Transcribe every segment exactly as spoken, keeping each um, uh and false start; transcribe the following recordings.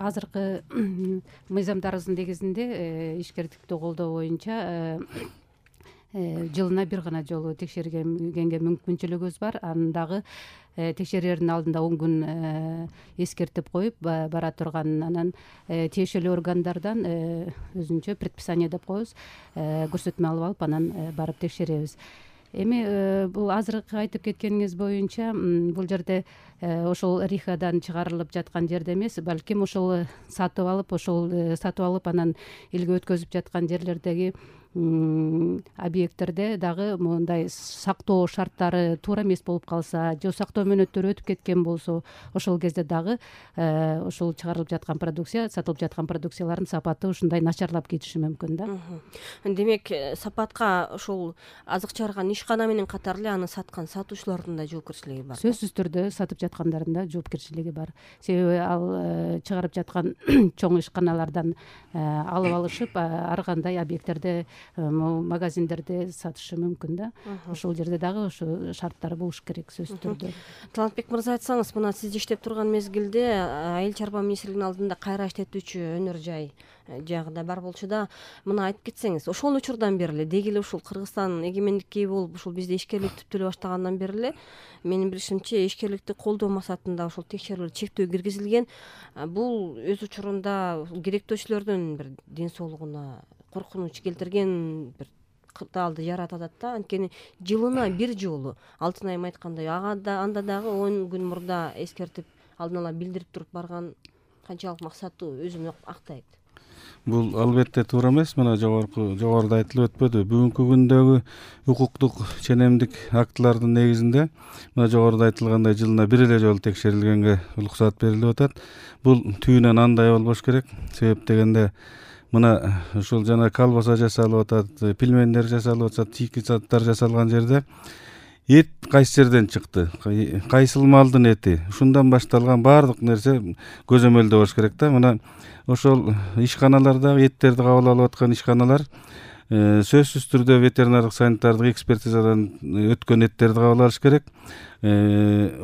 азыркы мыйзамдарыбыздын негизинде ишкердикти колдоо боюнча жылына бир гана жолу текшергенге мүмкүнчүлүгүбүз бар. Анын дагы текшерердин алдында он күн эскертип коюп бара турган, анан тиешелүү органдардан өзүнчө предписание деп коебуз, көрсөтмө алып алып анан барып текшеребиз. Эми бул азыркы айтып кеткениңиз боюнча бул жерде ошол рихадан чыгарылып жаткан жерде эмес, балким ошол сатып алып, ошол сатып алып анан элге өткөзүп жаткан жерлердеги объекттерде дагы мондай сактоо шарттары туура эмес болуп калса, же сактоо мөөнөттөрү өтүп кеткен болсо, ошол кезде дагы ошол чыгарылып жаткан продукция, сатылып жаткан продукциялардын сапаты ушундай начарлап кетиши мүмкүн да. Демек, сапатка ошол азык чыгарган ишкана менен катар эле аны саткан сатуучулардын да жоопкерчилиги бар. Сөзсүз түрдө сатып жаткандардын да жоопкерчилиги бар. Себеби ал чыгарып жаткан чоң ишканалардан алып алышып, ар кандай объекттерде, магазиндерде сатышы мүмкүн да. Ошол жерде дагы ошо шарттар болуш керек сөзсүз түрдө. Талантбек мырза, айтсаңыз, мына сиз иштеп турган мезгилде Айыл чарба министрлигинин алдында кайра иштетүүчү өнөр жай жагы да бар болчу да, мына айтып кетсеңиз, ошол учурдан бери эле деги эле ушул Кыргызстан эгемендикке ээ болуп, ушул бизде ишкерлик түптөлө эле баштагандан бери эле менин билишимче ишкерликти колдоо максатында ошол текшерүүлөр чектөө киргизилген. Бул өз учурунда керектөөчүлөрдүн бир ден соолугуна коркунуч келтирген бир кырдаалды жаратат да. Анткени жылына бир жолу Алтын айым айткандай, ага да анда дагы он күн мурда эскертип, алдын ала билдирип туруп барган канчалык максаттуу өзүн актайт. Бул албетте туура эмес. Мына жогорку жогоруда айтылып өтпөдү. Бүгүнкү күндөгү укуктук ченемдик актылардын негизинде мына жогоруда айтылгандай жылына бир эле жолу текшерилгенге уруксат берилип атат. Бул түйүнөн андай болбош керек. Себеп дегенде мына ушул жана колбаса жасалып атат, пельмендер жасалып атат, чийки заттар жасалган жерде эт кайсы жерден чыкты, кайсыл малдын эти, ушундан башталган баардык нерсе көзөмөлдө болуш керек да. Мына ошол ишканалардагы эттерди кабыл алып аткан ишканалар сөзсүз түрдө ветеринардык санитардык экспертизадан өткөн эттерди кабыл алыш керек.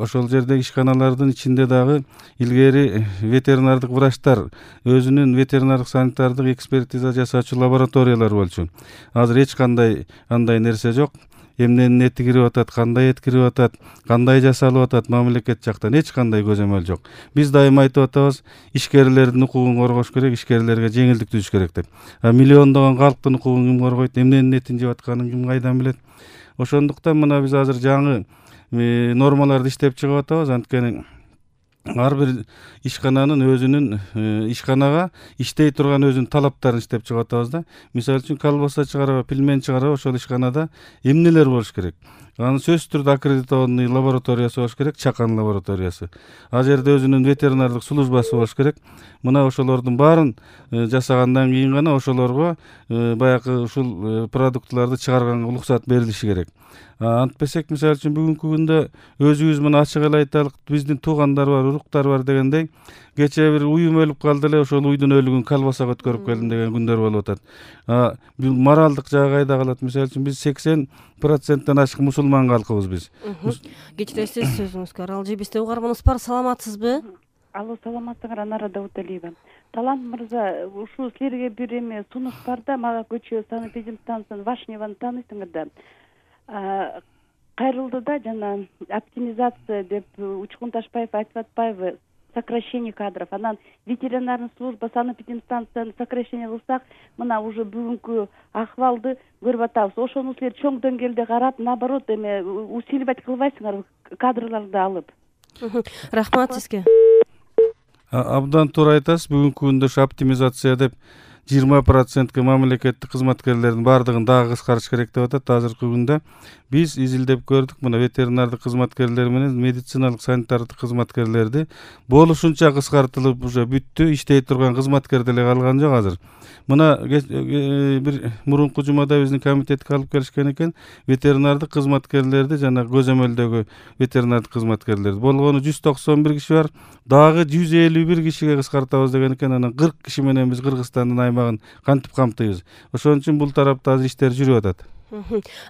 Ошол жердеги ишканалардын ичинде дагы илгери ветеринардык врачтар, өзүнүн ветеринардык санитардык экспертиза жасаучу лабораториялар болчу. Азыр эч кандай андай нерсе жок. Эмненин эти кирип атат, кандай эт кирип атат, кандай жасалып атат, мамлекет жактан эч кандай көзөмөл жок. Биз дайыма айтып атабыз, ишкерлердин укугун коргош керек, ишкерлерге жеңилдик түзүш керек деп. А миллиондогон калктын укугун ким коргойт, эмненин этин жеп атканын ким кайдан билет? Ошондуктан мына биз азыр жаңы нормаларды иштеп чыгып атабыз. Анткени ар бир ишкананын өзүнүн ишканага иштей турган өзүнүн талаптарын иштеп чыгып атабыз да. Мисалы үчүн колбаса чыгарабы, пельмен чыгарабы, ошол ишканада эмнелер болуш керек? Анын сөзсүз түрдө аккредитованный лабораториясы болуш керек, чакан лабораториясы. Ал жерде өзүнүн ветеринардык службасы болуш керек. Мына ошолордун баарын жасагандан кийин гана ошолорго баягы ушул продуктларды чыгарганга уруксат берилиши керек. Антпесек, мисалы үчүн бүгүнкү күндө өзүбүз мына ачык эле айтайлык, биздин туугандар бар, уруктар бар дегендей, кечээ бир уюм өлүп калды эле, ошол уйдун өлүгүн колбасага өткөрүп келдим деген күндөр болуп атат. Бул моралдык жагы кайда калат? Мисалы үчүн биз сексен проценттен ашык мусулман калкыбыз биз. Кечиресиз, сөзүңүзгө аралжы. Бизде угарманыбыз бар, саламатсызбы? Алло, саламатсыңар, Анара Дауталиева. Талант мырза, ушу силерге бир эме сунуш бар да, мага көчө санэпидемстанцияны Вашневаны тааныйсыңар да. Кайрылды да, жана оптимизация деп Учкун Ташпаев айтып атпайбы, сокращение кадров. Анан ветеринарный служба санэпидемстанцияны сокращение кылсак, мына уже бүгүнкү акыбалды көрүп атабыз. Ошону силер чоң деңгээлде карап, наоборот эме усиливать кылбайсыңар кадрларды алып. Рахмат сизге. Абдан туура айтасыз. Бүгүнкү күндө ушу оптимизация деп жыйырма процентке мамлекеттик кызматкерлердин баардыгын дагы кыскартыш керек деп атат. Азыркы күндө биз изилдеп көрдүк, мына ветеринардык кызматкерлер менен медициналык санитардык кызматкерлерди болушунча кыскартылып уже бүттү, иштей турган кызматкер деле калган жок азыр. Мына бир мурунку жумада биздин комитетке алып келишкен экен, ветеринардык кызматкерлерди жана көзөмөлдөгү ветеринардык кызматкерлерди болгону жүз токсон бир киши бар, дагы жүз элүү бир кишиге кыскартабыз деген экен. Анан кырк киши менен биз Кыргызстандын аймагын кантип камтыйбыз? Ошон үчүн бул тарапта азыр иштер жүрүп атат.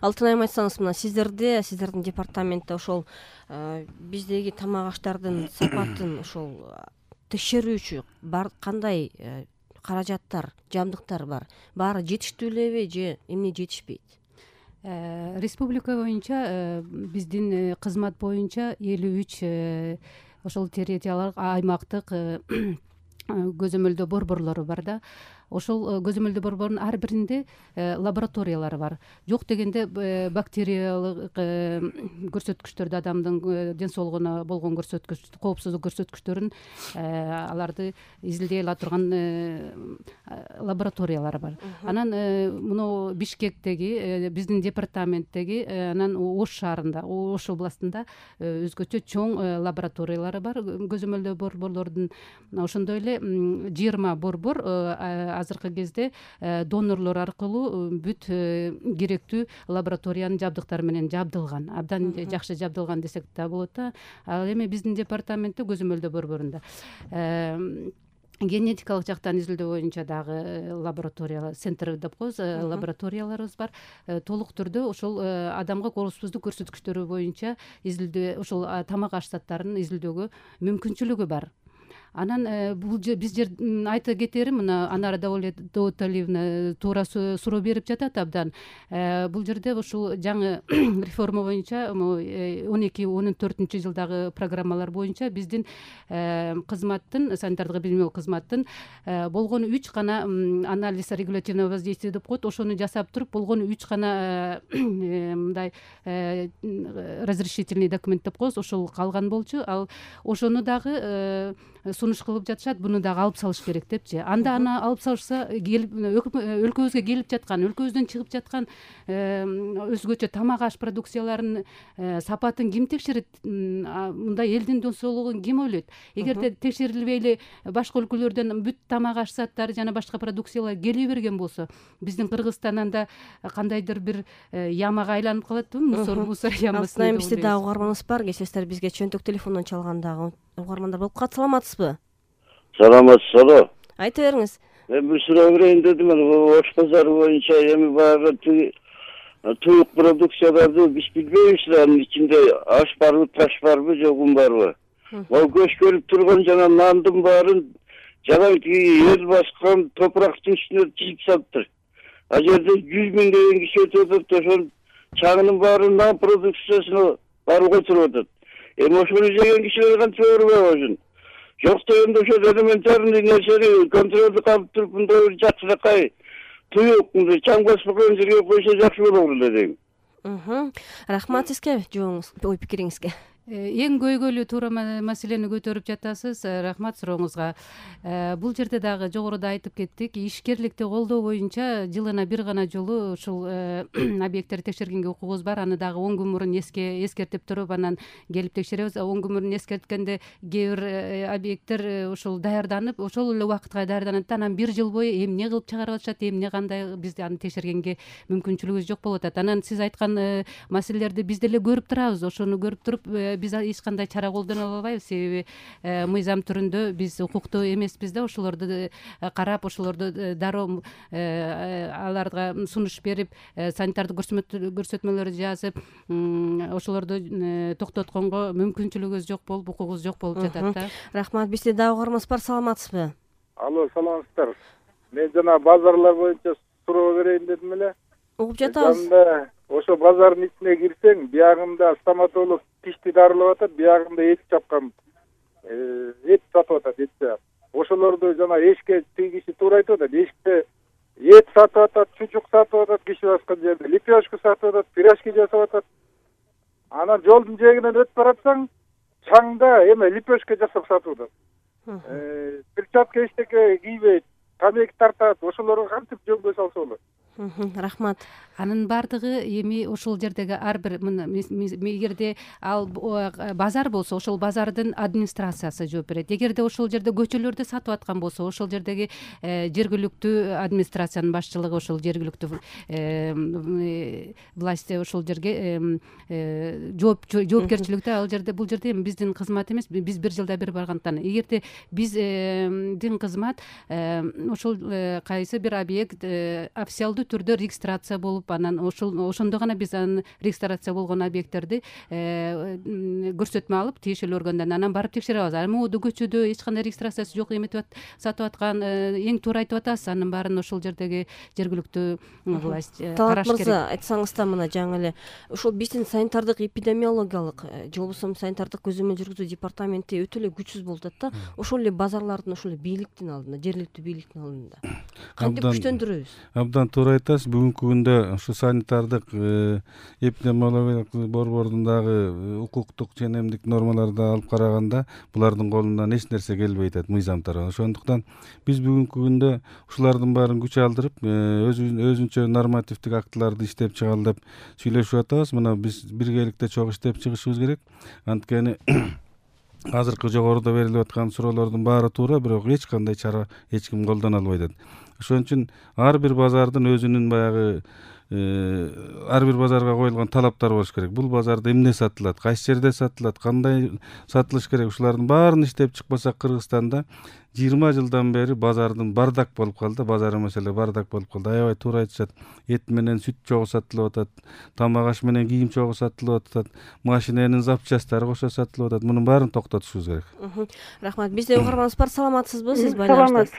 Алтын айым, айтсаңыз, мына сиздерде, сиздердин департаментте ошол биздеги тамак аштардын сапатын ошол текшерүүчү бар кандай каражаттар, жабдыктар бар? Баары жетиштүү элеби же эмне жетишпейт? Республика боюнча биздин кызмат боюнча элүү үч ошол территориялык аймактык көзөмөлдөө борборлору бар да. Ошол көзөмөлдөө борбордун ар биринде лабораториялары бар. Жок дегенде бактериялык көрсөткүчтөрдү, адамдын ден соолугуна болгон көрсөткүч, коопсуздук көрсөткүчтөрүн аларды изилдей ала турган лабораториялар бар. Анан муну Бишкектеги биздин департаменттеги, анан Ош шаарында, Ош областында өзгөчө чоң лабораториялары бар көзөмөлдөө борборлордун. Ошондой эле жыйырма борбор азыркы кезде донорлор аркылуу бүт керектүү лабораториянын жабдыктары менен жабдылган, абдан жакшы жабдылган десек да болот да. Ал эми биздин департаменттин көзөмөлдөө борборунда генетикалык жактан изилдөө боюнча дагы лаборатория центр деп коебуз, лабораторияларыбыз бар. Толук түрдө ошол адамга коопсуздук көрсөткүчтөрү боюнча изилдөө, ошол тамак аш заттарын изилдөөгө мүмкүнчүлүгү бар. Анан бул биз жер айта кетери, мына Анара Даулеталиевна туура суроо берип жатат абдан. Бул жерде ушул жаңы реформа боюнча он эки он төртүнчү жылдагы программалар боюнча биздин кызматтын, санитардык эпидемиологиялык кызматтын болгону үч гана анализ регулятивного воздействия деп коет. Ошону жасап туруп болгону үч гана мындай разрешительный документ деп коебуз, ошол калган болчу. Ал ошону дагы сунуш кылып жатышат, буну дагы алып салыш керек депчи. Анда аны алып салышса, өлкөбүзгө келип жаткан, өлкөбүздөн чыгып жаткан өзгөчө тамак аш продукцияларынын сапатын ким текшерет? Мындай элдин ден соолугун ким ойлойт? Эгерде текшерилбей эле башка өлкөлөрдөн бүт тамак аш заттары жана башка продукциялар келе берген болсо, биздин Кыргызстан анда кандайдыр бир ямага айланып калатпы? Мусор мусор ямасы. Алтынайым, бизде дагы угарманыбыз бар. Кесесиздер бизге чөнтөк телефондон чалган дагы угармандар болуп калат. Саламатсызбы? Саламатсызбы? Айта бериңиз. Мен бир суроо берейин дедим. Ош базары боюнча эми баягы туюк продукцияларды биз билбейбиз, анын ичинде аш барбы, таш барбы, жогун барбы? Ал көз көрүп турган жана нандын баарын жанагы эл баскан топурактын үстүнө тизип салыптыр. А жерде жүз миңдеген киши өтүп атат, ошол чаңынын баары нан продукциясына барып отуруп атат. Эми ошону жеген кишилер кантип өбүрбөй ошон? Жок дегенде ошол элементарный нерсени контролдук алып туруп мындай бир жакшыракай туюк чаң баспаган жерге койсо жакшы болор эле дейм. Рахмат сизге жооңуз, ой пикириңизге. Эң көйгөйлүү туура маселени көтөрүп жатасыз. Рахмат сурооңузга. Бул жерде дагы жогоруда айтып кеттик, ишкерликти колдоо боюнча жылына бир гана жолу ушул объекттерди текшергенге укугубуз бар. Аны дагы он күн мурун эске эскертип туруп, анан келип текшеребиз. он күн мурун эскерткенде кээ бир объекттер ушул даярданып, ошол эле убакытка даярданат, анан бир жыл бою эмне кылып чыгарып атышат, эмне кандай, биз аны текшергенге мүмкүнчүлүгүбүз жок болуп атат. Анан сиз айткан маселелерди биз деле көрүп турабыз. Ошону көрүп туруп биз эч кандай чара колдоно албайбыз, себеби мыйзам түрүндө биз укуктуу эмеспиз да. Ошолорду карап, ошолорду дароо аларга сунуш берип, санитардык көрсөтмөлөрдү жазып, ошолорду токтотконго мүмкүнчүлүгүбүз жок болуп, укугубуз жок болуп жатат да. Рахмат. Бизде дагы угарманыбыз бар. Саламатсызбы? Алло, саламатсыздар. Мен жана базарлар боюнча суроо берейин дедим эле. Угуп жатабыз. Ошо базардын ичине кирсең, биягында стоматолог тишти дарылап атат, биягында эт чапкан, эт сатып атат, эт. Ошолорду жана эшикке тиги киши туура айтып атат, эшикте эт сатып атат, чучук сатып атат, киши баскан жерде лепешка сатып атат, пирожки жасап атат. Анан жолдун жээгинен өтүп баратсаң, чаңда эме лепешка жасап сатып атат. Перчатка эчтеке кийбейт, тамеки тартат, ошолорго кантип жөнгө салса болот? Рахмат. Анын баардыгы эми ошол жердеги ар бир, эгерде ал базар болсо, ошол базардын администрациясы жооп берет. Эгерде ошол жерде көчөлөрдө сатып аткан болсо, ошол жердеги жергиликтүү администрациянын башчылыгы, ошол жергиликтүү власть ошол жерге жоопкерчиликте, ал жерде, бул жерде эми биздин кызмат эмес, биз бир жылда бир баргандыктан. Эгерде биздин кызмат ошол кайсы бир объект официалдуу коопсуздуу түрдө регистрация болуп, анан ошол ошондо гана биз анын регистрация болгон объекттерди көрсөтмө алып тиешелүү органдан анан барып текшере алабыз. Могу көчөдө эч кандай регистрациясы жок эметип сатып аткан эң туура айтып атасыз. Анын баарын ошол жердеги жергиликтүү власть Талап караш керек. мырза, айтсаңыз да мына жаңы эле ушул биздин санитардык эпидемиологиялык же болбосо санитардык көзөмөл жүргүзүү департаменти өтө эле күчсүз болуп атат да. Ошол эле базарлардын ошол эле бийликтин алдында, жергиликтүү бийликтин алдында кантип күчтөндүрөбүз? Абдан туура айтасыз. Бүгүнкү күндө ушу санитардык эпидемиологиялык борбордун дагы укуктук ченемдик нормаларды алып караганда булардын колунан эч нерсе келбей атат мыйзам тарабынан. Ошондуктан биз бүгүнкү күндө ушулардын баарын күч алдырып өзүнчө нормативдик актыларды иштеп чыгалы деп сүйлөшүп атабыз. Мына биз биргеликте чогуу иштеп чыгышыбыз керек. Анткени азыркы жогоруда берилип аткан суроолордун баары туура, бирок эч кандай чара эч ким колдоно албай атат. Ошон үчүн ар бир базардын өзүнүн баягы ар бир базарга коюлган талаптар болуш керек. Бул базарда эмне сатылат, кайсы жерде сатылат, кандай сатылыш керек, ушулардын баарын иштеп чыкпасак Кыргызстанда жыйырма жылдан бери базардын бардак болуп калды, базар маселе бардак болуп калды. Аябай туура айтышат. Эт менен сүт чогуу сатылып атат, тамак аш менен кийим чогуу сатылып атат, машиненин запчастары кошо сатылып атат. Мунун баарын токтотушубуз керек. Рахмат. Бизде угарманыбыз бар. Саламатсызбы? Сиз байланыштасыз.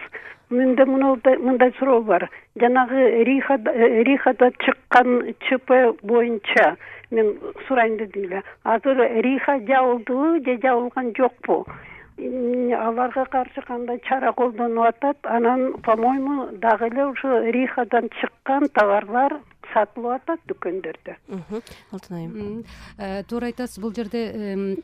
Менде мындай суроо бар. Жанагы Рихада Рихада чыккан ЧП боюнча мен сурайын дедим эле. Азыр Риха жабылдыбы же жабылган жокпу? Аларга каршы кандай чара колдонуп атат? Анан, по-моему, дагы эле ушу Рихадан чыккан товарлар сатылып атат дүкөндөрдө. Алтын айым. Туура айтасыз. Бул жерде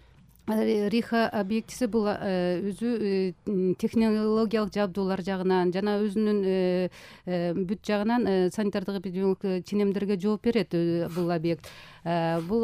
Риха объектиси бул өзү технологиялык жабдуулар жагынан жана өзүнүн бүт жагынан санитардык эпидемиологиялык ченемдерге жооп берет бул объект. Бул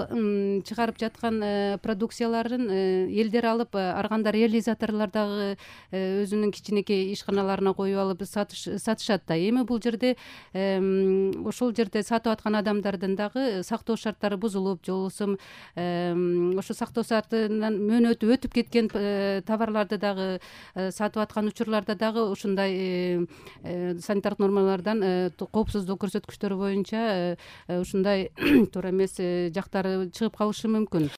чыгарып жаткан продукцияларын элдер алып, ар кандай реализаторлор дагы өзүнүн кичинекей ишканаларына коюп алып сатышат да. Эми бул жерде ошол жерде сатып аткан адамдардын дагы сактоо шарттары бузулуп, же болбосо ошо сактоо шартынан мөөнөтү өтүп кеткен товарларды дагы сатып аткан учурларда дагы ушундай санитардык нормалардан, коопсуздук көрсөткүчтөрү боюнча ушундай туура эмес жактары чыгып калышы мүмкүн.